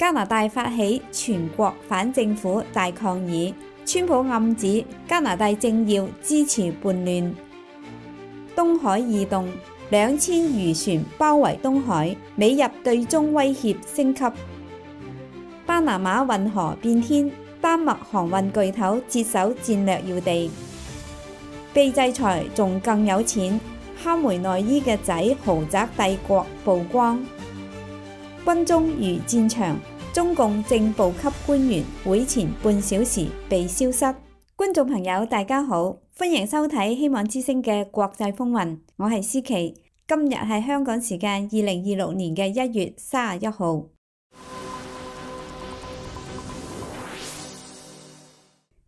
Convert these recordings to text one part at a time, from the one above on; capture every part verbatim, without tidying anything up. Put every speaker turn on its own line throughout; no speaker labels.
加拿大發起全國反政府大抗議，川普暗指加拿大政要支持叛亂。東海異動，兩千漁船包圍東海，美日對中威脅升級。巴拿馬運河變天，丹麥航運巨頭接手戰略要地。被制裁仲更有錢，哈梅內伊嘅仔豪宅帝國曝光。軍中如戰場，中共正部級官員會前半小時被消失。觀眾朋友大家好，歡迎收睇希望之聲嘅國際風雲，我係思琪。今日係香港時間二零二六年嘅一月三十一號。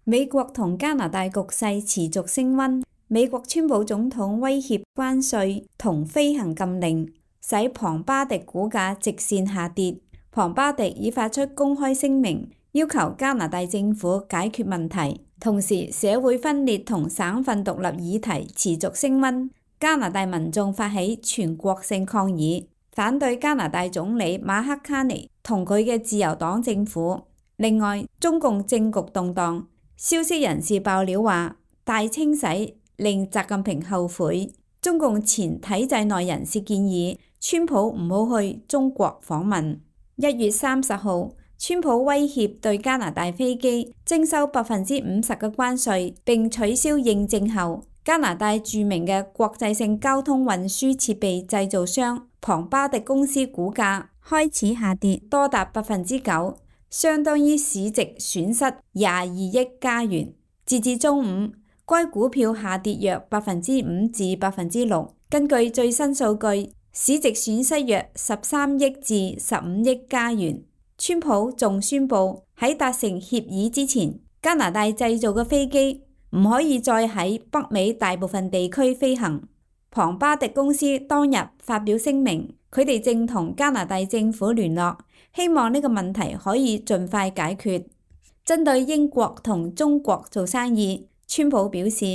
美國同加拿大局勢持續升溫，美國川普總統威脅關稅同飛行禁令，使龐巴迪股價直線下跌。龐巴迪已發出公開聲明，要求加拿大政府解決問題。同時，社會分裂同省份獨立議題持續升溫。加拿大民眾發起全國性抗議，反對加拿大總理馬克卡尼同佢嘅自由黨政府。另外，中共政局動盪。消息人士爆料話，大清洗令習近平後悔。中共前體制內人士建議川普唔好去中國訪問。一月三十號，川普威脅對加拿大飛機徵收百分之五十嘅關稅，並取消認證後，加拿大著名嘅國際性交通運輸設備製造商龐巴迪公司股價開始下跌，多達百分之九。相當於市值損失廿二億加元。截至中午，該股票下跌約百分之五至百分之六。根據最新數據，市值損失約十三億至十五億加元。川普仲宣布喺達成協議之前，加拿大製造嘅飛機唔可以再喺北美大部分地區飛行。龐巴迪公司當日發表聲明，佢哋正同加拿大政府聯絡，希望呢個問題可以盡快解決。針對英國同中國做生意，川普表示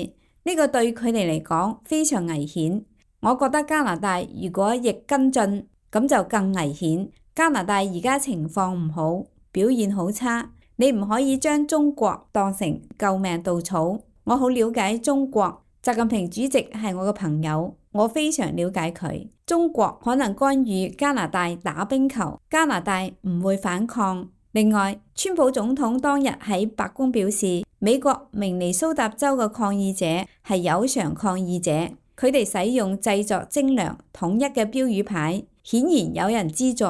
呢個對佢哋嚟講非常危險。我覺得加拿大如果亦跟進，咁就更危險。加拿大而家情況唔好，表現好差，你唔可以將中國當成救命稻草。我好了解中國，習近平主席係我嘅朋友，我非常了解佢。中國可能干預加拿大打冰球，加拿大唔會反抗。另外，川普總統當日喺白宮表示，美國明尼蘇達州嘅抗議者係有償抗議者，佢哋使用製作精良統一嘅標語牌，顯然有人資助。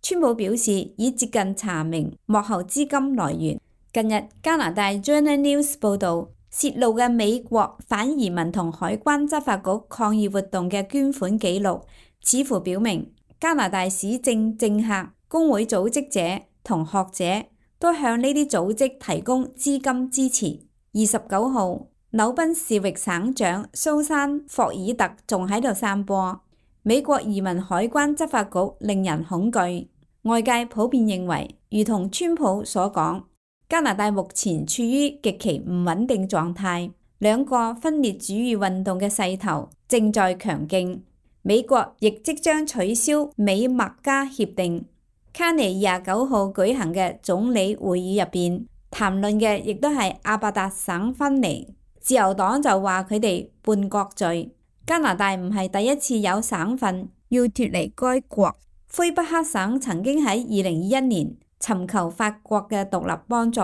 川普表示已接近查明幕後資金來源。近日，加拿大 Journal News 報導，泄露嘅美國反移民同海關執法局抗議活動嘅捐款記錄，似乎表明加拿大市政政客、工會組織者同學者都向呢啲組織提供資金支持。二十九號，紐賓士域省長蘇珊霍爾特仲喺度散播美國移民海關執法局令人恐懼。外界普遍認為，如同川普所講，加拿大目前處於極其唔穩定狀態，兩個分裂主義運動嘅勢頭正在強勁。美國亦即將取消美墨加協定。卡尼廿九號舉行嘅總理會議入邊，談論嘅亦都係阿伯達省分離。自由黨就話佢哋叛國罪。加拿大唔係第一次有省份要脫離該國。魁北克省曾經喺二零二一年尋求法國嘅獨立幫助。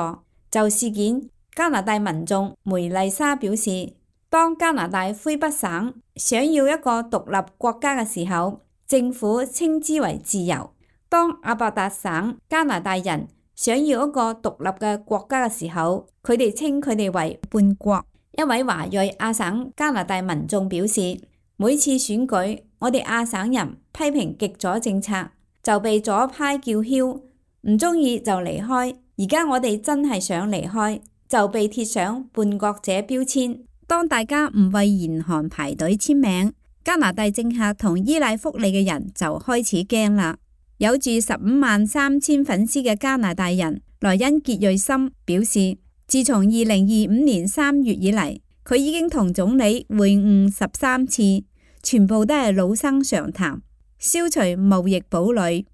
就事件，加拿大民眾梅麗莎表示，當加拿大魁北省想要一個獨立國家嘅時候，政府稱之為自由；當阿伯達省加拿大人想要一個獨立嘅國家嘅時候，佢哋稱佢哋為叛國。一位華裔亞省加拿大民眾表示，每次選舉，我哋亞省人批評極左政策，就被左派叫囂，唔中意就離開。而家我哋真係想離開，就被貼上叛國者標籤。當大家唔為嚴寒排隊簽名，加拿大政客同依賴福利嘅人就開始驚啦。有住十五萬三千粉絲嘅加拿大人萊恩傑瑞森表示，自從二零二五年三月以嚟，佢已經同總理會晤十三次，全部都係老生常談，消除貿易堡壘。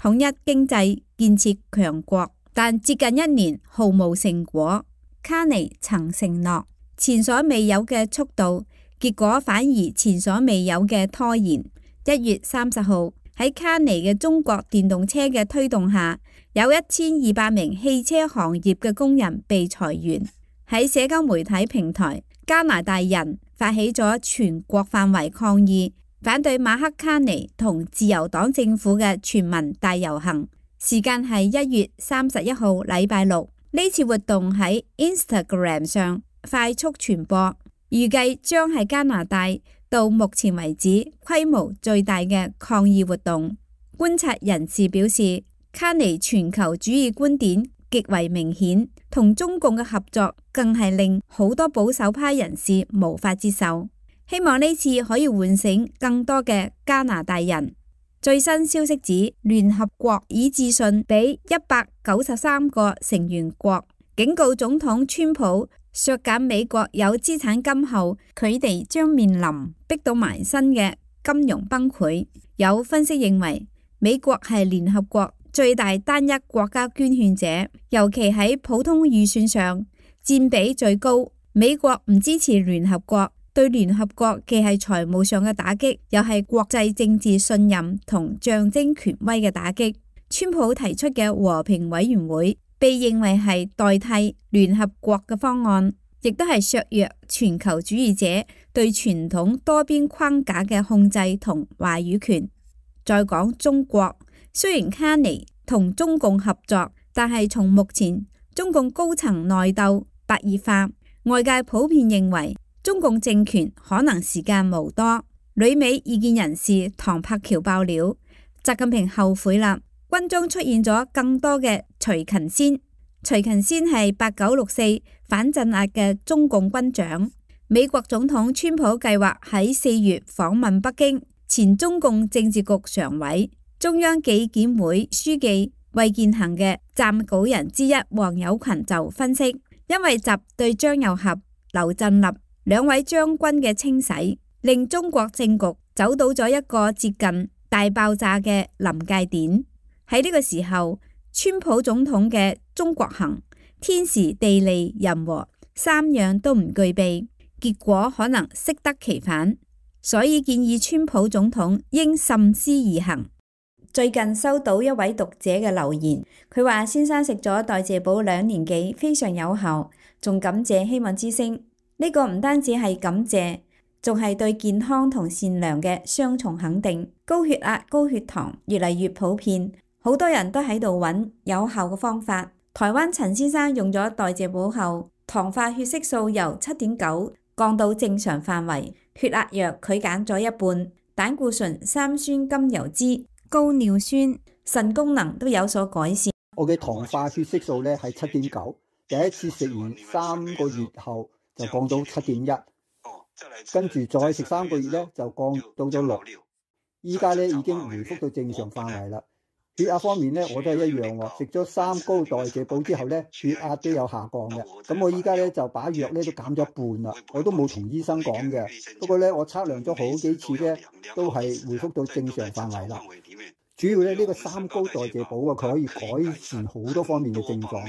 統一經濟，建設強國，但接近一年毫無成果。卡尼曾承諾前所未有嘅速度，結果反而前所未有嘅拖延。一月三十號喺卡尼嘅中國電動車嘅推動下，有一千二百名汽車行業嘅工人被裁員。喺社交媒體平台，加拿大人發起咗全國範圍抗議，反對馬克卡尼同自由黨政府嘅全民大遊行，時間係一月三十一號禮拜六。呢次活動喺 Instagram 上快速傳播，預計將係加拿大到目前為止規模最大嘅抗議活動。觀察人士表示，卡尼全球主義觀點極為明顯，同中共嘅合作更係令好多保守派人士無法接受。希望呢次可以喚醒更多嘅加拿大人。最新消息指，聯合國已致信俾一百九十三個成員國，警告總統川普削減美國有資產金後，佢哋將面臨逼到埋身嘅金融崩潰。有分析認為，美國係聯合國最大單一國家捐獻者，尤其喺普通預算上佔比最高。美國唔支持聯合國，對聯合國既係財務上嘅打擊，又係國際政治信任同象徵權威嘅打擊。川普提出嘅和平委員會被認為係代替聯合國嘅方案，亦都係削弱全球主義者對傳統多邊框架嘅控制同話語權。再講中國，雖然卡尼同中共合作，但係從目前中共高層內鬥白熱化，外界普遍認為中共政權可能時間無多。旅美意見人士唐柏橋爆料，習近平後悔啦，軍中出現咗更多嘅徐勤先。徐勤先係八九六四反鎮壓嘅中共軍長。美國總統川普計劃喺四月訪問北京。前中共政治局常委、中央紀檢會書記魏健行嘅撰稿人之一黃友群就分析，因為習對張又俠、劉振立兩位將軍嘅清洗，令中國政局走到咗一個接近大爆炸嘅臨界點。喺呢個時候，川普總統嘅中國行天時地利人和三樣都唔具備，結果可能適得其反。所以建議川普總統應慎思而行。最近收到一位讀者嘅留言，佢話先生食咗代謝寶兩年幾，非常有效，仲感謝希望之聲。呢個唔單止係感謝，仲係對健康同善良嘅雙重肯定。高血壓、高血糖越嚟越普遍，好多人都喺度揾有效嘅方法。台灣陳先生用咗代謝寶後，糖化血色素由七點九降到正常範圍，血壓藥佢減咗一半，膽固醇、三酸甘油酯、高尿酸、腎功能都有所改善。
我嘅糖化血色素咧係七點九，第一次食完三個月後就降到七點一，跟住再食三個月咧就降到咗六，依家咧已經回復到正常範圍啦。血壓方面咧，我都係一樣喎。食咗三高代謝寶之後咧，血壓都有下降嘅。咁我依家咧就把藥咧都減咗一半啦。我都冇同醫生講嘅，不過咧我測量咗好幾次咧，都係回復到正常範圍啦。主要咧呢個三高代謝寶啊，佢可以改善好多方面嘅症狀，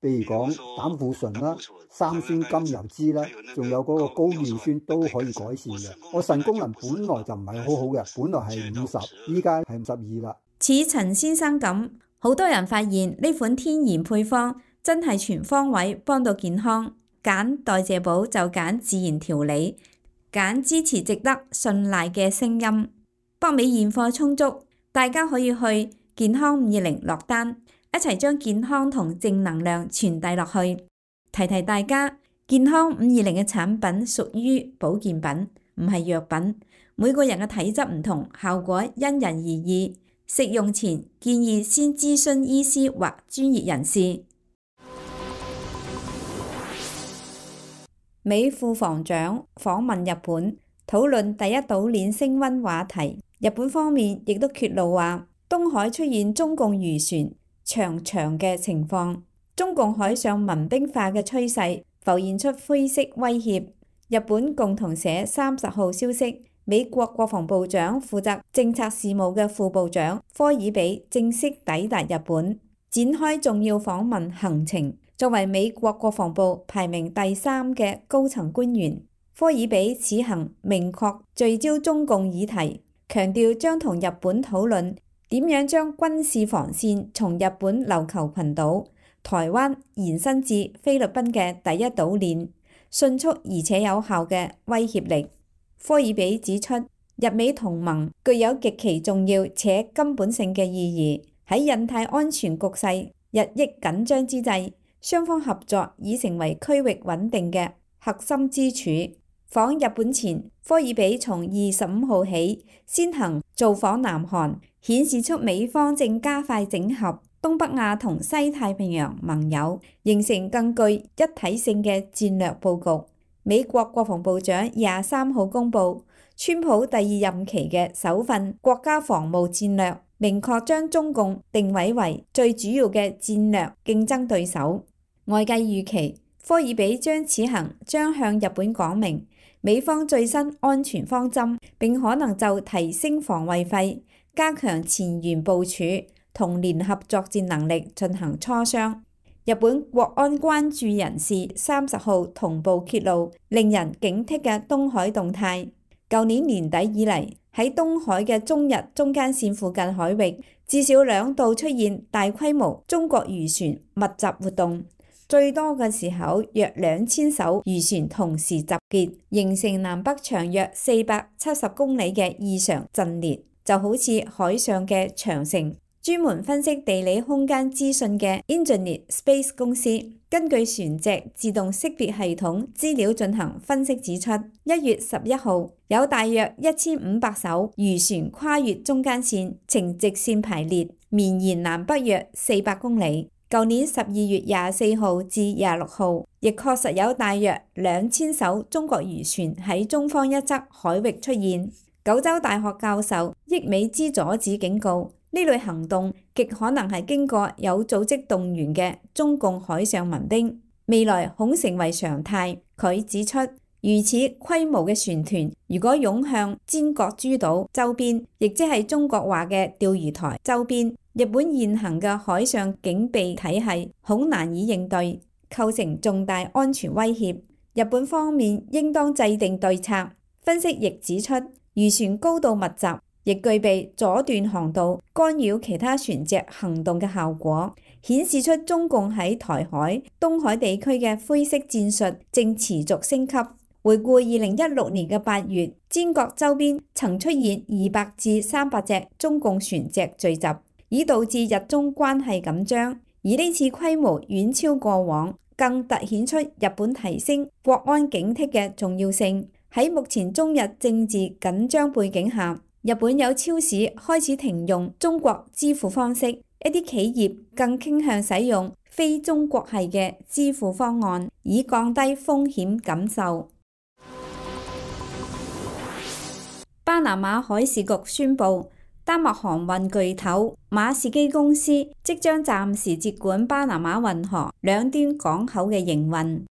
譬如講膽固醇啦、三酸甘油酯啦，仲有嗰個高尿酸都可以改善嘅。我腎功能本來就唔係好好嘅，本來係五十，依家係五十二啦。
似陳先生咁，好多人發現呢款天然配方真係全方位幫到健康。揀代謝寶就揀自然調理，揀支持值得信賴嘅聲音。北美現貨充足，大家可以去健康五二零落單，一齊將健康同正能量傳遞落去。提提大家，健康五二零嘅產品屬於保健品，唔係藥品。每個人嘅體質唔同，效果因人而異。食用前建議先諮詢醫師或專業人士。美副防長訪問日本，討論第一島鏈升溫話題。日本方面亦都揭露話，東海出現中共漁船長長嘅情況，中共海上民兵化嘅趨勢浮現出灰色威脅。日本共同社三十號消息，美國國防部長負責政策事務嘅副部長科爾比正式抵達日本，展開重要訪問行程。作為美國國防部排名第三嘅高層官員，科爾比此行明確聚焦中共議題，強調將同日本討論點樣將軍事防線從日本琉球群島、台灣延伸至菲律賓嘅第一島鏈，迅速而且有效嘅威脅力。科爾比指出，日美同盟具有極其重要且根本性嘅意義。喺印太安全局勢日益緊張之際，雙方合作已成為區域穩定嘅核心支柱。訪日本前，科爾比從二十五號起先行造訪南韓，顯示出美方正加快整合東北亞同西太平洋盟友，形成更具一體性嘅戰略佈局。美國國防部長廿三號公佈，川普第二任期嘅首份國家防務戰略，明確將中共定位為最主要嘅戰略競爭對手。外界預期，科爾比將此行將向日本講明美方最新安全方針，並可能就提升防衛費、加強前沿部署同聯合作戰能力進行磋商。日本國安關注人士三十號同步揭露令人警惕嘅東海動態。舊年年底以嚟，喺東海嘅中日中間線附近海域，至少兩度出現大規模中國漁船密集活動，最多嘅時候約兩千艘漁船同時集結，形成南北長約四百七十公里嘅異常陣列，就好似海上嘅長城。專門分析地理空間資訊嘅 Engineer Space 公司，根據船隻自動識別系統資料進行分析指出，一月十一號有大約一千五百艘漁船跨越中間線，呈直線排列，綿延南北約四百公里。舊年十二月廿四號至廿六號，亦確實有大約兩千艘中國漁船喺中方一側海域出現。九州大學教授益美之佐子警告，呢類行動極可能係經過有組織動員嘅中共海上民兵，未來恐成為常態。佢指出，如此規模嘅船團，如果湧向尖閣諸島周邊，亦即係中國話嘅釣魚台周邊，日本現行嘅海上警備體系恐難以應對，構成重大安全威脅。日本方面應當制定對策。分析亦指出，漁船高度密集，亦具備阻斷航道、干擾其他船隻行動嘅效果，顯示出中共喺台海、東海地區嘅灰色戰術正持續升級。回顧二零一六年嘅八月，尖閣周邊曾出現二百至三百隻中共船隻聚集，已導致日中關係緊張。而呢次規模遠超過往，更凸顯出日本提升國安警惕嘅重要性。喺目前中日政治緊張背景下，日本有超市開始停用中國支付方式，一啲企業更傾向使用非中國系嘅支付方案，以降低風險感受。巴拿馬海事局宣布，丹麥航運巨頭馬士基公司即將暫時接管巴拿馬運河兩端港口嘅營運。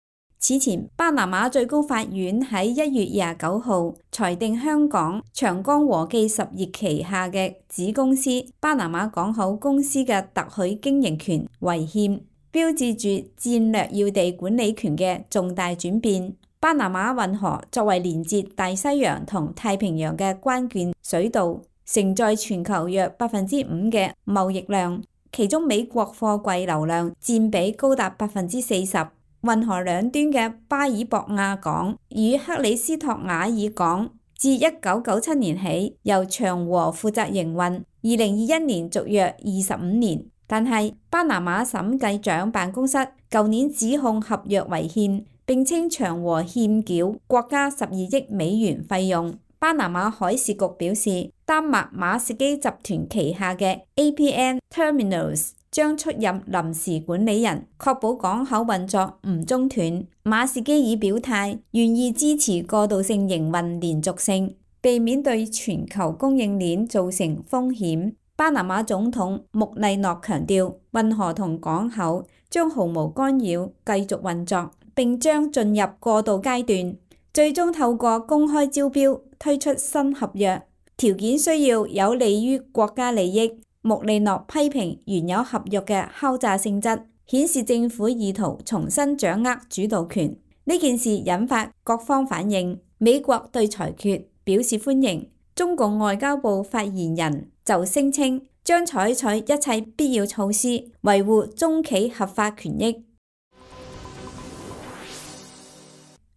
此前，巴拿馬最高法院喺一月廿九號裁定香港長江和記實業旗下嘅子公司巴拿馬港口公司嘅特許經營權違憲，標誌住戰略要地管理權嘅重大轉變。巴拿馬運河作為連接大西洋同太平洋嘅關鍵水道，承載全球約百分之五嘅貿易量，其中美國貨櫃流量佔比高達百分之四十。運河兩端嘅巴爾博亞港與克里斯托瓦爾港自一九九七年起由長和負責營運，二零二一年續約二十五年。但係巴拿馬審計長辦公室舊年指控合約違憲，並稱長和欠繳國家十二億美元費用。巴拿馬海事局表示，丹麥馬士基集團旗下嘅 A P M Terminals將出任臨時管理人，確保港口運作唔中斷。馬士基已表態願意支持過渡性營運連續性，避免對全球供應鏈造成風險。巴拿馬總統穆麗諾強調，運河同港口將毫無干擾繼續運作，並將進入過渡階段，最終透過公開招標推出新合約，條件需要有利於國家利益。穆利諾批評原有合約嘅敲詐性質，顯示政府意圖重新掌握主導權。呢件事引發各方反應，美國對裁決表示歡迎。中共外交部發言人就聲稱將採取一切必要措施，維護中企合法權益。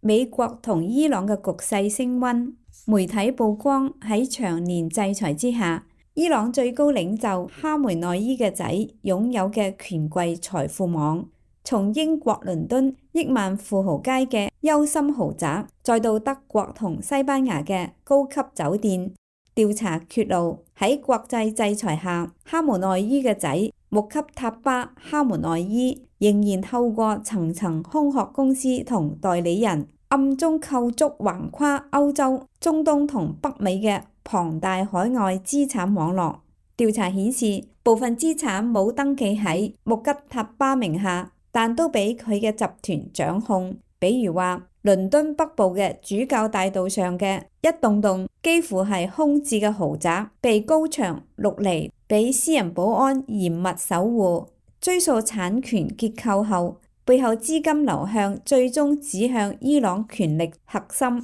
美國同伊朗嘅局勢升溫，媒體曝光喺長年制裁之下，伊朗最高領袖哈梅內伊嘅仔擁有嘅權貴財富網，從英國倫敦億萬富豪街嘅優心豪宅，再到德國同西班牙嘅高級酒店。調查揭露，喺國際制裁下，哈梅內伊嘅仔穆吉塔巴哈梅內伊仍然透過層層空殼公司同代理人，暗中構築橫跨歐洲、中東同北美嘅龐大海外資產網絡。調查顯示，部分資產冇登記喺穆吉塔巴名下，但都俾佢嘅集團掌控。比如話，倫敦北部嘅主教大道上嘅一棟棟幾乎係空置嘅豪宅，被高牆陸離，俾私人保安嚴密守護。追溯產權結構後，背後資金流向最終指向伊朗權力核心。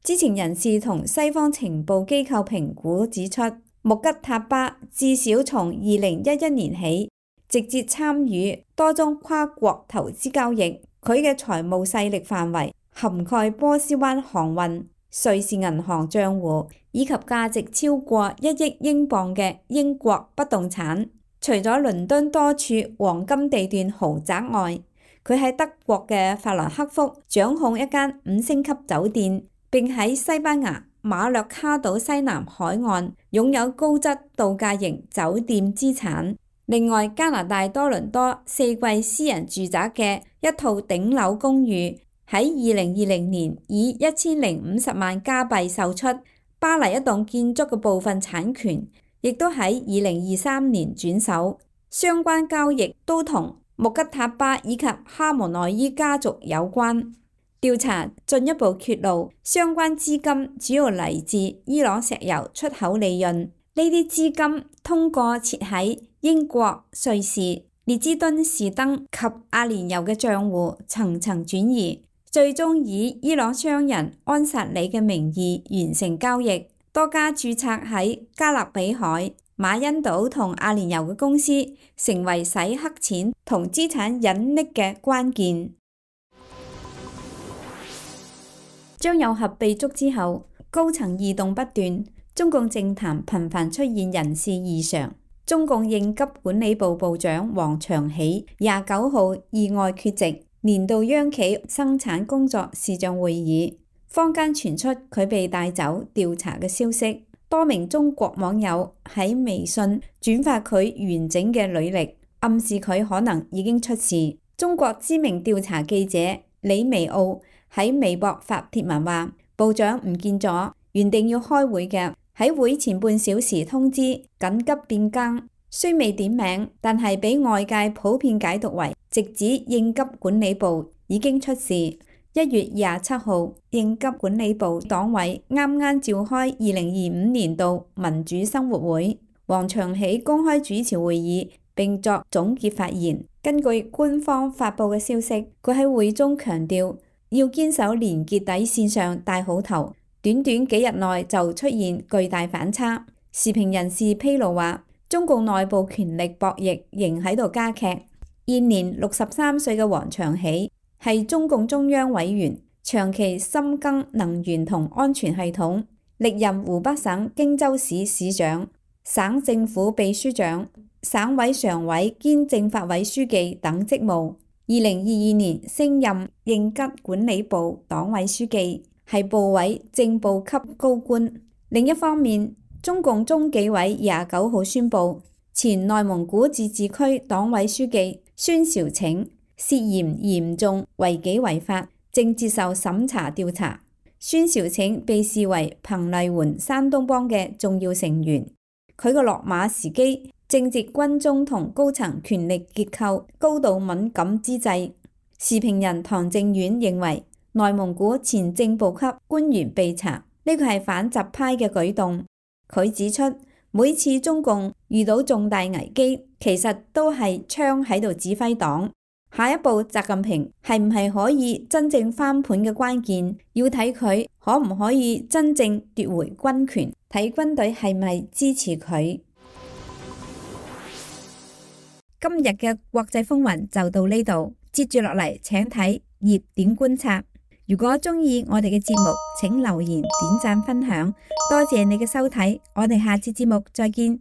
知情人士同西方情報機構評估指出，穆吉塔巴至少從二零一一年起直接參與多宗跨國投資交易，佢嘅財務勢力範圍涵蓋波斯灣航運、瑞士銀行賬戶以及價值超過一億英鎊嘅英國不動產。除咗倫敦多處黃金地段豪宅外，佢喺德國嘅法蘭克福掌控一間五星級酒店，並喺西班牙馬略卡島西南海岸擁有高質度假型酒店資產。另外，加拿大多倫多四季私人住宅嘅一套頂樓公寓喺二零二零年以一千零五十萬加幣售出。巴黎一棟建築嘅部分產權亦都喺二零二三年轉手。相關交易都同穆吉塔巴以及哈梅內伊家族有關。調查進一步揭露，相關資金主要嚟自伊朗石油出口利潤。呢啲資金通過設喺英國、瑞士、列支敦士登及阿聯酋嘅賬戶層層轉移，最終以伊朗商人安薩里嘅名義完成交易。多家註冊喺加勒比海、馬恩島同阿聯酋嘅公司，成為洗黑錢同資產隱匿嘅關鍵。張又俠被捉之後，高層異動不斷，中共政壇頻繁出現人事異常。中共應急管理部部長王長喜廿九號意外缺席年度央企生產工作視像會議，坊間傳出佢被帶走調查嘅消息。多名中國網友喺微信轉發佢完整嘅履歷，暗示佢可能已經出事。中國知名調查記者李維奧喺微博發帖文話，部長唔見咗，原定要開會嘅，喺會前半小時通知緊急變更，雖未點名，但係俾外界普遍解讀為直指應急管理部已經出事。一月廿七號，應急管理部黨委啱啱召開二零二五年度民主生活會，王長喜公開主持會議並作總結發言。根據官方發布嘅消息，佢喺會中強調要堅守連結底線上帶好頭。短短幾日內就出現巨大反差。時評人士披露話，中共內部權力博弈仍喺度加劇。現年六十三歲嘅王長喜係中共中央委員，長期深耕能源同安全系統，歷任湖北省荊州市市長、省政府秘書長、省委常委兼政法委書記等職務。二零二二年升任應急管理部黨委書記，係部委正部級高官。另一方面，中共中紀委廿九號宣布，前內蒙古自治區黨委書記孫兆拯涉嫌嚴重違紀違法，正接受審查調查。孫兆拯被視為彭麗媛山東幫嘅重要成員，佢個落馬時機正值軍中同高層權力結構高度敏感之際。時評人唐正遠認為，內蒙古前正部級官員被查，呢個係反習派嘅舉動。佢指出，每次中共遇到重大危機，其實都係槍喺度指揮黨。下一步習近平係唔係可以真正翻盤嘅關鍵，要睇佢可唔可以真正奪回軍權，睇軍隊係咪支持佢。今日嘅國際風雲就到呢度，接住落嚟請睇熱點觀察。如果中意我哋嘅節目，請留言、點讚、分享，多謝你嘅收睇，我哋下次節目再見。